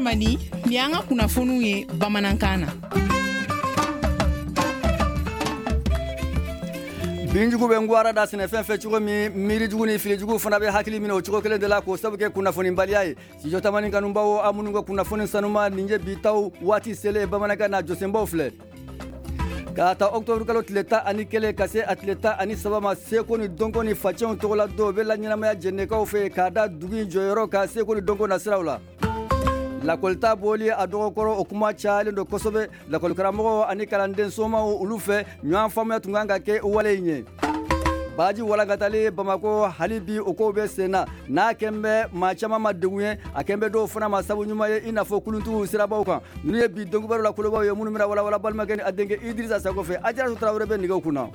Tamani, nin y'an ka kunnafoniw ye bamanankan na. Binjugu bɛ ngwara da sɛnɛfɛn fɛ cogo min, miirijugu ni filijugu fana bɛ hakili minɛ o cogo kelen de la, k'o sabu kɛ kunnafonibaliya ye. Studio Tamani kanubaw, aw minnu ka kunnafoni sanuma, nin ye bi taw waati selen bamanankan na, jɔsenbaw filɛ. K'a ta octobre kalo tile 11 ka se a tile 13 ma, seko ni dɔnko ni facɛnw tɔgɔla don bɛ la ɲɛnamaya jɛnɛkaw fɛ, k'a da dugu in jɔyɔrɔ ka seko ni dɔnko nasiraw la. Lakɔlita bɔli a dɔgɔkɔrɔ, o kuma cayalen don kosɛbɛ lakɔlikaramɔgɔw ani kalanden somaw olu fɛ. Ɲɔgɔn faamuya tun kan ka kɛ wale in ye. Baji walankatali Bamakɔ, hali bi o kow bɛ sen na. N'a kɛn bɛ maa caman ma degun ye, a kɛn bɛ dɔw fana ma sabu ɲuman ye, i n'a fɔ kuluntigiw sirabaw kan. Ninnu ye bi donkibaru la kolobaw ye, minnu bɛna walawala balimakɛ ni a denkɛ Idirisa Sako fɛ. Ajaratu Tarawele bɛ nɛgɛw kunna.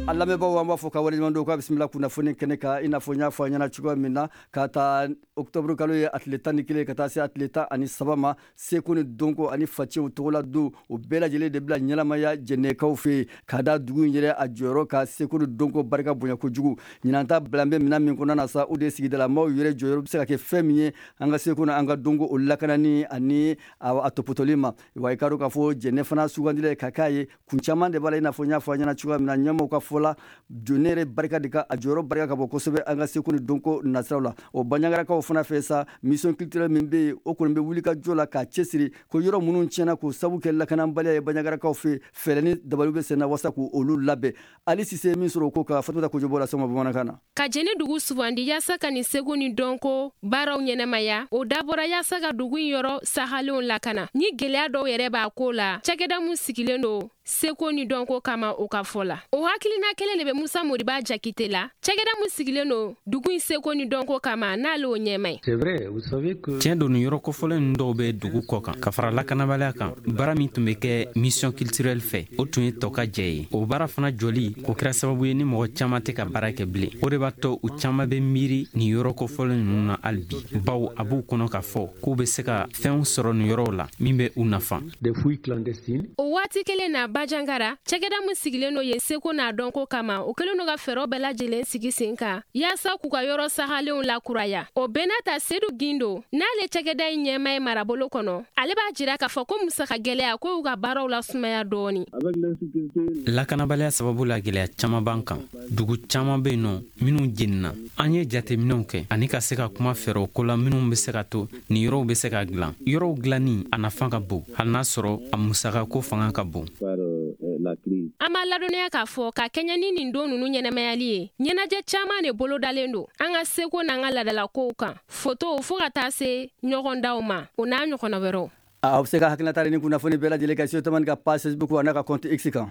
A lamɛnbaaw, an b'a fɔ ka waleɲuman dɔn k'a bisimila kunnafoni kɛnɛ kan. I n'a fɔ n y'a fɔ a ɲɛna cogoya min na, ka taa octobre kalo ye a tile 11 ka taa se a tile 13 ma, seko ni dɔnko ani facɛnw tɔgɔla don, o bɛɛ lajɛlen de bila ɲɛnamaya jɛnɛkaw fɛ yen, ka da dugu in yɛrɛ a jɔyɔrɔ ka seko ni dɔnko barika bonya kojugu. Ɲinan ta bilan bɛ minɛn min kɔnɔna na sa, o de ye sigidalamaw yɛrɛ jɔyɔrɔ bɛ se ka kɛ fɛn min ye an ka seko ni an ka dɔnko o lakanani ani a tɔpɔtɔli ma. Wa i ka dɔn k'a fɔ jɛnɛ fana sugandila ka k'a ye, kun caman de b'a la. I n'a fɔ n y'a fɔ a ɲɛna cogoya min na, ɲɛmaaw ka fɔ la, jɛnɛ yɛrɛ barika de ka a jɔyɔrɔ barika ka bon kosɛbɛ an ka seko ni dɔnko nasiraw la. O Bandiagarakaw fana fɛ sa, mission culturelle min bɛ yen, o kɔni bɛ wuli ka jɔ la k'a cɛsiri ko yɔrɔ minnu tiɲɛna k'o sabu kɛ lakanabaliya ye Bandiagarakaw fɛ, fɛɛrɛ ni dabaliw bɛ sen na walasa k'olu labɛn. Ali Sise min sɔrɔ o ko kan, Fatumata Kojo b'o las'aw ma bamanankan na. Ka Jɛnɛ dugu sugandi yaasa ka nin seko ni dɔnko baaraw ɲɛnamaya, o dabɔra yaasa ka dugu in yɔrɔ sahalenw lakana. Ni gwɛlɛya dɔw yɛrɛ b'a ko la, cakɛda mun sigilen don seko ni dɔnko kama, o ka fɔ la, o hakilina kelen de bɛ Musa Moriba Jakite la, cakɛda mun sigilen don dugu in seko ni dɔnko kama, n'ale o ɲɛma ye. Tiɲɛ don, nin yɔrɔ kofɔlen ninnu dɔw bɛ dugu kɔ kan. Ka fara lakanabaliya kan, baara min tun bɛ kɛ mission culturelle fɛ, o tun ye tɔ ka jɛ ye. O baara fana jɔli, o kɛra sababu ye ni mɔgɔ caman tɛ ka baara kɛ bilen. O de b'a to u caman bɛ miiri nin yɔrɔ kofɔlen ninnu na hali bi, bawo a b'u kɔnɔ k'a fɔ k'u bɛ se ka fɛnw sɔrɔ nin yɔrɔw la min bɛ u nafa. O waati kelen na, Bajangara, cakɛda min sigilen don yen seko n'a dɔnko kama, o kɛlen don ka fɛɛrɛw bɛɛ lajɛlen sigi sen kan yaasa k'u ka yɔrɔ sahalenw lakuraya. O bɛɛ n'a ta, Sedu Gindo, n'ale cakɛda in ɲɛma ye marabolo kɔnɔ, ale b'a jira k'a fɔ ko musaka gɛlɛya ko y'u ka baaraw lasumaya dɔɔni. Lakanabaliya sababu la, gɛlɛya caman b'an kan. Dugu caman bɛ yen nɔ minnu jenina. An ye jateminɛw kɛ ani ka se ka kuma fɛɛrɛw ko la minnu bɛ se ka to nin yɔrɔw bɛ se ka dilan. Yɔrɔw dilanni, a nafa ka bon, hali n'a sɔrɔ a musaka ko fanga ka bon. An b'a ladɔnniya k'a fɔ ka kɛɲɛ ni nin don nunu ɲɛnamayali ye, ɲɛnajɛ caaman de bolodalen don an ka seko n'an ka ladalakow kan, fotow, fɔɔ ka taa se ɲɔgɔndaw ma, o n'a ɲɔgɔnna wɛrɛw. Aw bɛ se ka hakilinata ni kunnafoni bɛɛ lajɛlen kɛ Studio Tamani ka page Facebook a n'a ka compte X kan.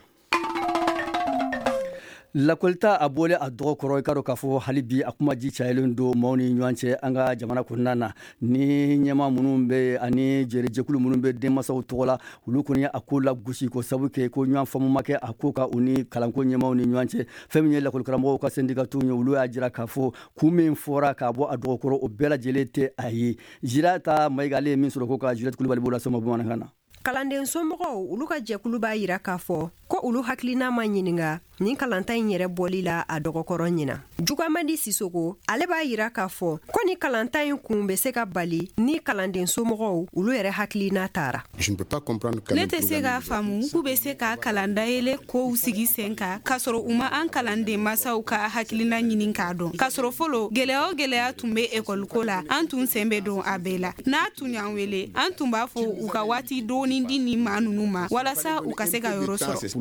Lakɔlita a bɔlen a dɔgɔ kɔrɔ, i ka dɔn k'a fɔ hali bi a kuma ji cayalen don maaw ni ɲɔgɔn cɛ an ka jamana kɔnɔna na. Ni ɲɛmaa minnu bɛ ani jɛrɛjɛkulu minnu bɛ denmansaw tɔgɔ la, olu kɔni a ko la gosi, ko sabu kɛ ko ɲɔgɔn faamu ma kɛ a ko ka u ni kalanko ɲɛmaaw ni ɲɔgɔn cɛ. Fɛn min ye lakɔlikaramɔgɔw ka syndicat ye, olu y'a jira k'a fɔ kun min fɔra k'a bɔ a dɔgɔ kɔrɔ, o bɛɛ lajɛlen tɛ a ye. Jirata Mayiga, ale ye min sɔrɔ ko ka Juliette Kulibali b'o las'aw ma bamanankan na. Kalanden somɔgɔw, olu ka jɛkulu b'a yira k'a fɔ ko olu hakilina ma ɲininga nin kalanta in yɛrɛ bɔli la a dɔgɔkɔrɔ ɲina. Jugamadi Sisoko, ale b'a yira k'a fɔ ko ni kalanta in kun bɛ se ka bali ni kalanden somɔgɔw olu yɛrɛ hakilina taara. Ne tɛ se k'a faamu k'u bɛ se ka kalan dayɛlɛ kow sigi sen kan k'a sɔrɔ u ma an kalanden masaw ka hakilina ɲini k'a dɔn, k'a sɔrɔ fɔlɔ, gɛlɛya o gɛlɛya tun bɛ ekɔliko la, an tun sen bɛ don a bɛɛ la. N'a tun y'an wele, an tun b'a fɔ u ka waati dɔɔni di nin maa ninnu ma walasa u ka se ka yɔrɔ sɔrɔ.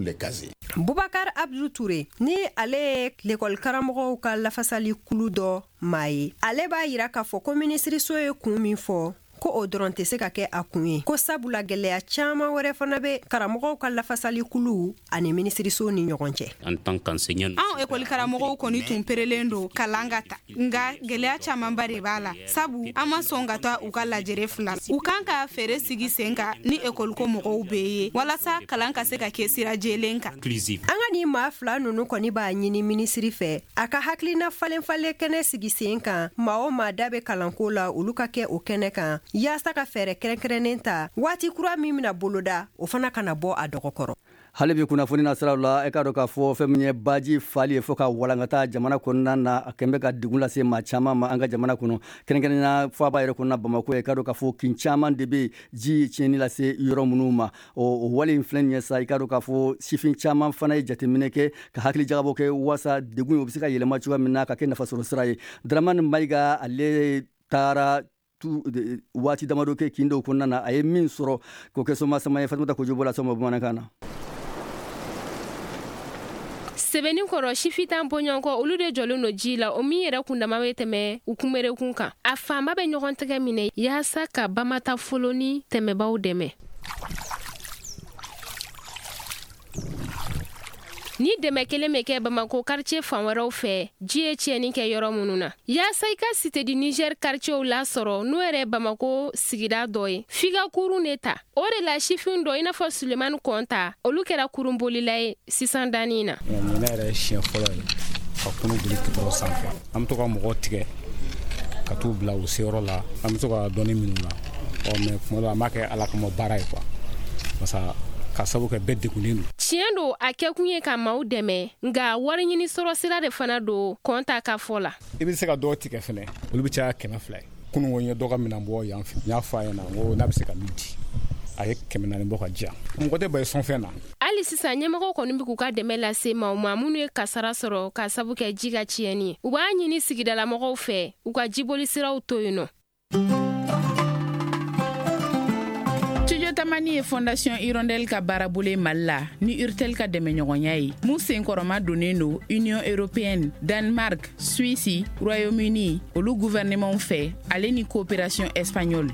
Bubakar Abdu Ture, ni ale ye lekɔli karamɔgɔw ka lafasali kulu dɔ maa ye, ale b'a yira k'a fɔ ko minisiriso ye kun min fɔ, ko o dɔrɔn tɛ se ka kɛ a kun ye, ko sabula gɛlɛya caaman wɛrɛ fana bɛ karamɔgɔw ka lafasali kulu ani minisiriso ni ɲɔgɔn cɛ. Anw ekɔli karamɔgɔw kɔni tun perelen don kalan ka ta, nka gɛlɛya camanba de b'a la, sabu an ma sɔn ka taa u ka lajɛrɛ fila. U kan ka fɛɛrɛ sigi sen kan ni ekɔliko mɔgɔw bɛɛ ye walasa kalan ka se ka kɛ sira jɛlen kan. An ka nin maa fila ninnu kɔni b'a ɲini minisiri fɛ a ka hakilina falen falen kɛnɛ sigi sen kan, maa o maa da bɛ kalanko la, olu ka kɛ o kɛnɛ kan yaasa ka fɛɛrɛ kɛrɛnkɛrɛnnen ta, waati kura min bɛna boloda, o fana kana bɔ a dɔgɔkɔrɔ. Hali bi kunnafoni na siraw la, e k'a dɔn k'a fɔ fɛn min ye baji fali ye fo ka walankata jamana kɔnɔna na, a kɛn bɛ ka degun lase maa caman ma an ka jamana kɔnɔ, kɛrɛnkɛrɛnnenya faaba yɛrɛ kɔnɔna Bamakɔ. E k'a dɔn k'a fɔ kin caman de bɛ ji ye tiɲɛni lase yɔrɔ minnu ma. O wale in filɛ nin ye sa, i k'a dɔn k'a fɔ sifin caman fana ye jateminɛ kɛ ka hakili jagabɔ kɛ waasa degun o bɛ se ka yɛlɛma cogoya min na ka kɛ nafasɔrɔ sira ye. Dramani Mayiga, ale taara tu waati damadɔ kɛ kin dɔw kɔnɔna na, a ye min sɔrɔ k'o kɛ soma sama ye. Fatumata Kojo bɔra sɔma bamanankan na. Sɛbɛnni kɔrɔ, sifitan bɔɲɔgɔnkɔ, olu de jɔlen don ji la, o min yɛrɛ kundama bɛ tɛmɛ u kunberekun kan. A fanba bɛ ɲɔgɔn tɛgɛ minɛ yaasa ka bamata folo ni tɛmɛbaw dɛmɛ. Ni dɛmɛ kelen bɛ kɛ Bamako quartier fan wɛrɛw fɛ, ji ye tiɲɛni kɛ yɔrɔ minnu na. Yaasa i ka Cité du Niger quartierw lasɔrɔ, n'o yɛrɛ Bamako sigida dɔ ye, f'i ka kurun de ta. O de la sifin dɔ, i n'a fɔ Sulemani Kɔnta, olu kɛra kurunbolila ye sisan danni na. Ɲinɛ yɛrɛ ye siɲɛ fɔlɔ ye ka kurun boli goudron sanfɛ. An bɛ to ka mɔgɔw tigɛ ka t'u bila u seyɔrɔ la, an bɛ to ka dɔɔni minnu na. Ɔ mais tuma dɔ an b'a kɛ Ala kama baara ye quoi, parce que ka sababu kɛ bɛɛ degunnen don. Tiɲɛ don, a kɛkun ye ka maaw dɛmɛ, nka wari ɲini sɔrɔ sira de fana don, Kɔnta ka fɔ la. I bɛ se ka dɔw tigɛ fɛnɛ, olu bɛ caya 200 ye. Kunun ko n ye dɔ ka minɛn bɔ yan fɛ, n y'a fɔ a ɲɛna n ko n'a bɛ se ka min di, a ye 400 bɔ ka di yan. Mɔgɔ tɛ ban sɔnfɛn na. Hali sisan, ɲɛmɔgɔw kɔni bɛ k'u ka dɛmɛ lase maaw ma minnu ye kasara sɔrɔ k'a sabu kɛ ji ka tiɲɛni ye. U b'a ɲini sigidalamɔgɔw fɛ u ka jiboli siraw to yen nɔ. Studio Tamani ye Fondation Hirondelle ka baarabolo ye Mali la ni Urtel ka dɛmɛɲɔgɔnya ye, mun senkɔrɔma donnen don Union européenne, Danemark, Suisse, Royaume-Uni, olu gouvernement fɛ, ale ni coopération espagnole.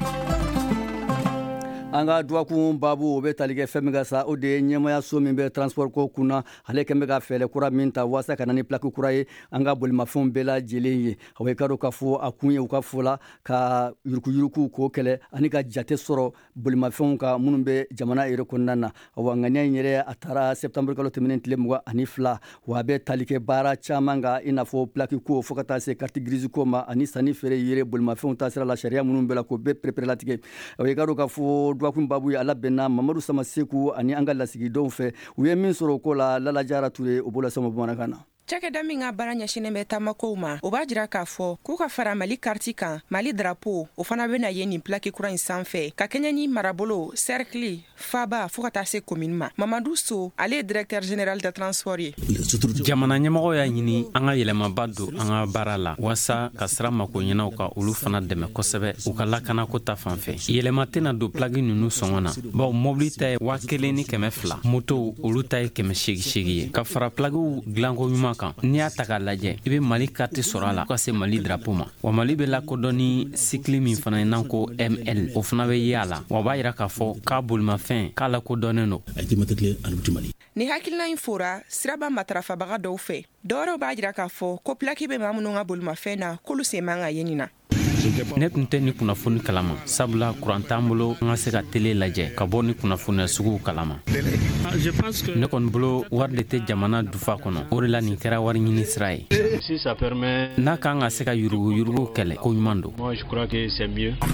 An ka dɔgɔkun baabu, o bɛ tali kɛ fɛn min ka sa, o de ye ɲɛmayaso min bɛ transport ko kunna, ale kɛn bɛ ka fɛɛrɛ kura min ta waasa ka na ni plaque kura ye an ka bolimafɛnw bɛɛ lajɛlen ye. A i ka dɔn k'a fɔ a kun ye, u ka fɔ la, ka yuruguyurugu k'o kɛlɛ ani ka jate sɔrɔ bolimafɛnw ka minnu bɛ jamana yɛrɛ kɔnɔna na. Awa, ŋaniya in yɛrɛ, a taara septembre kalo tɛmɛnen tile 22. Wa a bɛ tali kɛ baara caman kan, i n'a fɔ plaque ko, fo ka taa se carte grise ko ma, ani sanni feere yɛrɛ bolimafɛnw ta sira la, sariya minnu bɛ la k'o bɛɛ pereperelatigɛ. A i ka dɔn k'a fɔ dɔgɔkun baabu ye, ala bɛnna Mamadu Samaseku ani an ka lasigidenw fɛ, u ye min sɔrɔ o ko la. Lala Jara Ture, o b'o lasama bamanankan na. Cakɛda min ka baara ɲɛsinnen bɛ taamakow ma, o b'a jira k'a fɔ k'u ka fara Mali kariti kan, Mali drapeau, o fana bena ye nin plaki kura in sanfɛ, ka kɛɲɛ ni marabolo, cercle, faba, fɔɔ ka taa se commune ma. Mamadu So, ale ye directeur général de transport ye. Jamana ɲɛmɔgɔ y'a ɲini an ka yɛlɛmaba don an ka baara la waasa ka sira makoɲɛnaw ka olu fana dɛmɛ kosɛbɛ u ka lakanako ta fan fɛ. Yɛlɛma tɛna don plaki ninnu sɔngɔ na, bawo mobili ta ye 1200, motow olu ta ye 880 ye. Ka fara plakiw dilanko ɲuman kan, n'i y'a ta k'a lajɛ, i bɛ Mali karti sɔrɔ a la ka se Mali drapeau ma. Wa Mali bɛ lakodɔn ni sigle min fana ye n'an ko ML, o fana bɛ ye a la. Wa b'a yira k'a fɔ k'a bolimafɛn k'a lakodɔnnen don. Ni hakilina in fora siraba matarafabaga dɔw fɛ, dɔwɛrɛw b'a jira k'a fɔ ko plaki bɛ maa minnu ka bolimafɛn na, k'olu sen man ka ye nin na. Ne tun tɛ ni kunnafoni kalama, sabula kuran t'an bolo an ka se ka tele lajɛ ka bɔ ni kunnafoniya suguw kalama. Ne kɔni bolo, wari de tɛ jamana dufa kɔnɔ, o de la nin kɛra wari ɲini sira ye. N'a kan ka se ka yuruguyurugu kɛlɛ, ko ɲuman don. An bɛ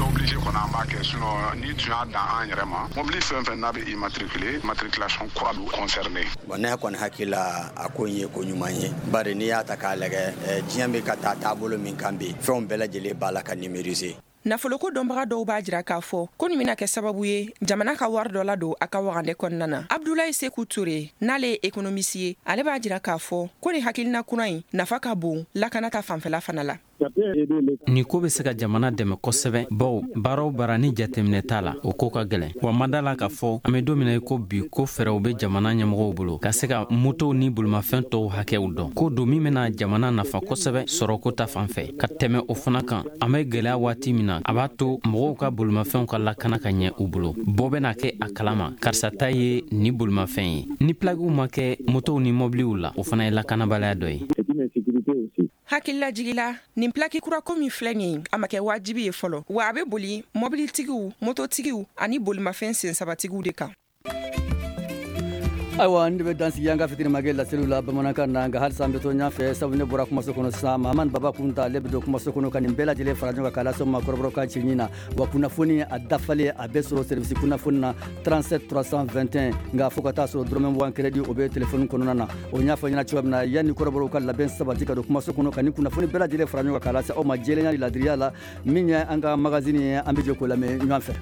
obligé kɔni, an b'a kɛ, sinon ni tun y'a dan an yɛrɛ ma, mobili fɛn fɛn n'a bɛ immatriculé, matriculation kura bɛ concerné. Bon, ne kɔni hakili la, a ko in ye ko ɲuman ye, bari n'i y'a ta k'a lajɛ, diɲɛ bɛ ka taa taabolo min kan bi, fɛnw bɛɛ lajɛlen b'a la ka numériser. Nafoloko dɔnbaga dɔw b'a jira k'a fɔ ko nin bɛna kɛ sababu ye jamana ka wari dɔ ladon a ka wagandɛ kɔnɔna na. Abdulayi Seku Ture, n'ale ye économiste ye, ale b'a jira k'a fɔ ko nin hakilina kura in nafa ka bon lakana ta fanfɛla fana la. Nin ko bɛ se ka jamana dɛmɛ kosɛbɛ, bawo baara o baara ni jateminɛ t'a la, o ko ka gɛlɛn. Wa ma da la k'a fɔ an bɛ don min na i ko bi, ko fɛɛrɛw bɛ jamana ɲɛmɔgɔw bolo ka se ka motow ni bolimafɛn tɔw hakɛw dɔn. Ko don min bɛna jamana nafa kosɛbɛ sɔrɔko ta fan fɛ. Ka tɛmɛ o fana kan, an bɛ gwɛlɛya waati min na, a b'a to mɔgɔw ka bolimafɛnw ka lakana ka ɲɛ u bolo. Bɔ bɛna kɛ a kalama karisa ta ye ni bolimafɛn ye. Ni plakiw ma kɛ motow ni mɔbiliw la, o fana ye lakanabaliya dɔ ye. Hakililajigila, nin plaki kurako min filɛ nin ye, a ma kɛ wajibi ye fɔlɔ, wa a bɛ boli mɔbilitigiw, mototigiw ani bolimafɛn sensabatigiw de kan. Ayiwa, n de bɛ dansigi an ka fitirimakɛ laseliw la bamanankan na. Nka halisa an bɛ to ɲɛfɛ, sabu ne bɔra kumaso kɔnɔ sisan, Mahamani Baba Kunta, ale bɛ don kumaso kɔnɔ ka nin bɛɛ lajɛlen fara ɲɔgɔn kan k'a lase ma kɔrɔbɔrɔkan cɛɲi na. Wa kunnafoni a dafalen, a bɛ sɔrɔ service kunnafoni na 37 321. Nka fo ka taa sɔrɔ dɔrɔmɛ 20 crédit, o bɛ telefɔni kɔnɔna na. O y'a fɔ ɲɛna cogoya min na, yanni kɔrɔbɔrɔw ka labɛn sabati ka don kumaso kɔnɔ ka nin kunnafoni bɛɛ lajɛlen fara ɲɔgɔn kan k'a lase aw ma jɛlenya ni ladiriya la, min ye an ka magazine ye, an bɛ jɛ k'o lamɛn ɲɔgɔn fɛ.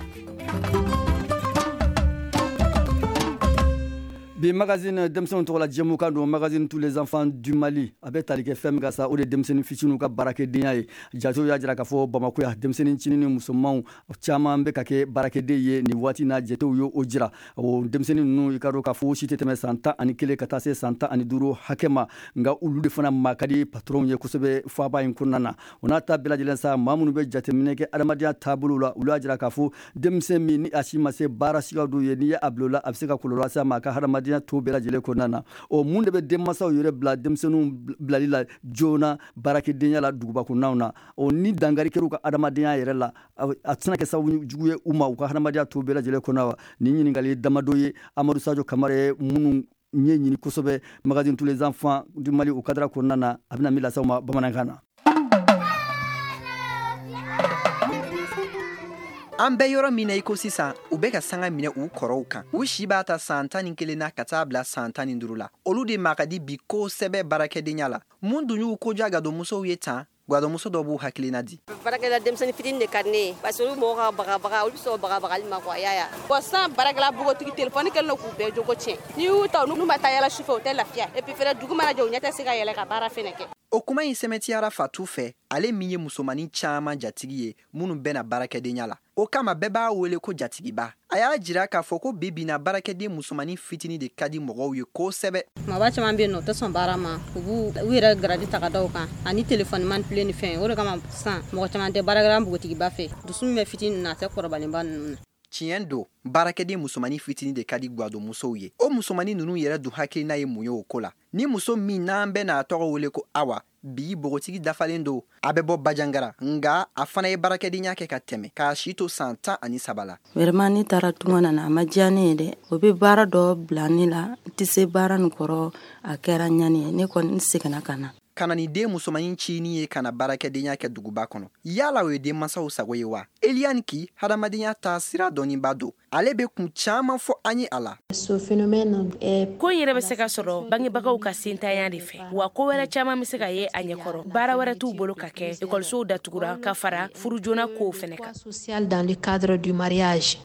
Bi magazine, denmisɛnw tɔgɔ la jɛmukan don, magazine tous les enfants du Mali. A bɛ tali kɛ fɛn min kan sa, o de ye denmisɛnnin fitininw ka baarakɛdenya ye. Jatew y'a jira k'a fɔ Bamako yan, denmisɛnnin cinin ni musomanw caman bɛ ka kɛ baarakɛden ye nin waati na. Jatew ye o jira. O denmisɛnnin ninnu, i ka dɔn k'a fɔ si tɛ tɛmɛ san 11 ka taa se san 15 hakɛ ma. Nka olu de fana maa ka di patronw ye kosɛbɛ faaba in kɔnɔna na. O n'a ta bɛɛ lajɛlen sa, maa minnu bɛ jateminɛ kɛ adamadenya taabolo la, olu y'a jira k'a fɔ denmisɛn min ni a si ma se baara siga dɔw ye, n'i ye a bila o la, a bɛ se ka kɔlɔlɔ lase a ma a ka hadamadenya to bɛɛ lajɛlen kɔnɔna na. O mun de bɛ denmansaw yɛrɛ bila denmisɛnninw bilali la joona baarakɛdenya la duguba kɔnɔnaw na? O ni dankari kɛra u ka adamadenya yɛrɛ la, a tɛna kɛ sababu jugu ye u ma u ka hadamadenya to bɛɛ lajɛlen kɔnɔ wa? Nin ɲininkali damadɔ ye Amadu Sajo Kamara ye minnu ɲɛ ɲini kosɛbɛ magazine tous les enfants du Mali o cadre kɔnɔna na. A bɛna min lase aw ma bamanankan na. An bɛ yɔrɔ min na i ko sisan, u bɛ ka sanga minɛ u kɔrɔw kan. U si b'a ta san 11 na ka taa bila san 15 la. Olu de ma ka di bi kosɛbɛ baarakɛdenya la. Mun dun y'u koja gadonmusow ye tan? Gadonmuso dɔ b'u hakilina di. Baarakɛla denmisɛnnin fitinin de ka di ne ye, parce que olu mɔgɔw ka bagabaga, olu bɛ sɔn bagabagali ma quoi, y'a ye. Bon, sisan baarakɛla npogotigi, telefɔni kɛlen don k'u bɛɛ jogo tiɲɛ. N'i y'u ta, n'u ma taa yala sufɛ, u tɛ lafiya. Et puis fɛnɛ, dugu mana jɛ, u ɲɛ tɛ se ka yɛlɛ ka baara fɛnɛ kɛ. O kuma in sɛmɛtiyara Fatu fɛ, ale min ye musomanin caman jatigi ye minnu bɛna baarakɛdenya la. O kama bɛɛ b'a wele ko jatigiba. A y'a jira k'a fɔ ko bi bi na, baarakɛden musomanin fitinin de ka di mɔgɔw ye kosɛbɛ. Kumaba caman bɛ yen nɔ, u tɛ sɔn baara ma, u b'u u yɛrɛ garadi ta ka da u kan ani telefɔni manipulé ni fɛn. O de kama sisan mɔgɔ caman tɛ baarakɛla npogotigiba fɛ. Dusu min bɛ fitinin na, a tɛ kɔrɔbalenba ninnu na. Tiɲɛ don, baarakɛden musomanin fitinin de ka di gadonmusow ye. O musomanin ninnu yɛrɛ dun hakilina ye mun ye o ko la? Ni muso min n'an bɛ n'a tɔgɔ wele ko Awa, bi npogotigi dafalen don, a bɛ bɔ Bajangara, nka a fana ye baarakɛdenya kɛ ka tɛmɛ k'a si to san 13 la. Vraiment, ne taara tunga na, a ma diya ne ye dɛ. O bɛ baara dɔ bila ne la, n tɛ se baara nin kɔrɔ, a kɛra ɲani ye. Ne kɔni, n seginna ka na. Ka na ni den musomanin cinin ye ka na baarakɛdenya kɛ duguba kɔnɔ, yala o ye denmansaw sago ye wa? Eliane Ki, hadamadenya taa sira dɔnniba don, ale bɛ kun caman fɔ an ye a la. Ko in yɛrɛ bɛ se ka sɔrɔ bangebagaw ka sentanya de fɛ, wa ko wɛrɛ caman bɛ se ka ye a ɲɛkɔrɔ. Baara wɛrɛ t'u bolo ka kɛ, ekɔlisow datugura, ka fara furu joona kow fɛnɛ kan.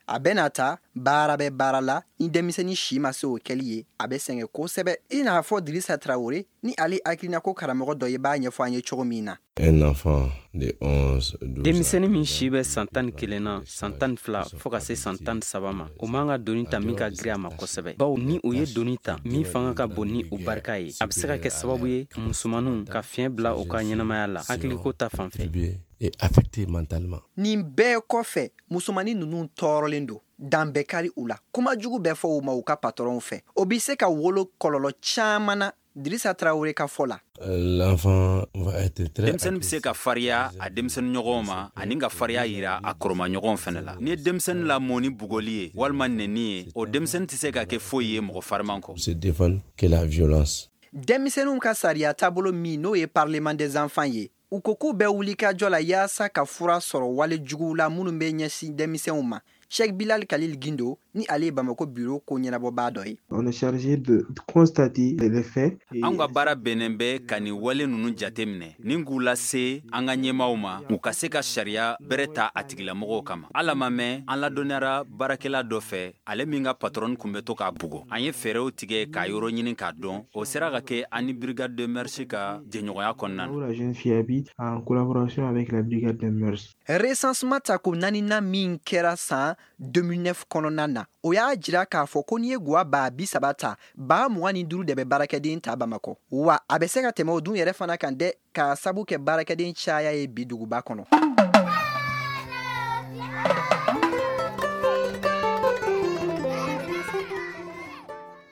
A bɛ na ta baara bɛ baara la, ni denmisɛnnin si ma se o kɛli ye, a bɛ sɛgɛn kosɛbɛ, i n'a fɔ Dirisa Tarawele ni ale hakilina ko karamɔgɔ dɔ ye b'a ɲɛfɔ an ye cogo min na. Un enfant de 11, 12. Denmisɛnnin min si bɛ san 11 na, san 12 fɔɔ ka se san 13 ma, o man ka doni ta min ka girin a ma kosɛbɛ, bawo ni o ye doni ta min fanga ka bon ni o barika ye, a bɛ se ka kɛ sababu ye musomanninw ka fiɲɛ bila u ka ɲɛnamaya la hakiliko ta fan fɛ. Et affecté mentalement. Nin bɛɛ kɔfɛ, musomannin ninnu tɔɔrɔlen don, dan bɛɛ kari u la, kuma jugu bɛɛ fɔ u ma u ka patɔrɔnw fɛ. O bɛ se ka wolo kɔlɔlɔ caman na, Dirisa Tarawele ka fɔ la. L'enfant va être très Denmisɛnnin bɛ se ka fariya a denmisɛnnin ɲɔgɔnw ma ani ka fariya yira a kɔrɔmaɲɔgɔnw fɛnɛ la. Ni ye denmisɛnnin lamɔ ni bugɔli ye walima nɛni ye, o denmisɛnnin tɛ se ka kɛ foyi ye mɔgɔ fariman kɔ. Se défendre que la violence. Denmisɛnninw ka sariya taabolo min n'o ye Parlement des enfants ye, u ko k'u bɛ wuli ka jɔ la yaasa ka fura sɔrɔ wale juguw la minnu bɛ ɲɛsin denmisɛnw ma. Sheikh Bilal Khalil Gindo ni ale ye Bamako bureau ko ɲɛnabɔbaa dɔ ye. On est chargé de constater les faits. Anw ka baara bɛnnen bɛ ka nin wale ninnu jate minɛ ni k'u lase an ka ɲɛmaaw ma, u ka se ka sariya bɛrɛ ta a tigilamɔgɔw kama. Ala ma mɛn, an ladɔnniyara baarakɛla dɔ fɛ, ale min ka patron kun bɛ to k'a bugɔ. An ye fɛɛrɛw tigɛ k'a yɔrɔ ɲini k'a dɔn. O sera ka kɛ an ni brigade de mœurs ka jɛɲɔgɔnya kɔnɔna na. La jeune fille habite en collaboration avec la brigade des mœurs. Recensement tako naaninan min kɛra san 2009 kɔnɔna na, o y'a jira k'a fɔ ko n'i ye guwa 30 000 ta, 25 000 de bɛ baarakɛden ta Bamakɔ. Wa a bɛ se ka tɛmɛ o dun yɛrɛ fana kan dɛ, k'a sabu kɛ baarakɛden caya ye bi duguba kɔnɔ.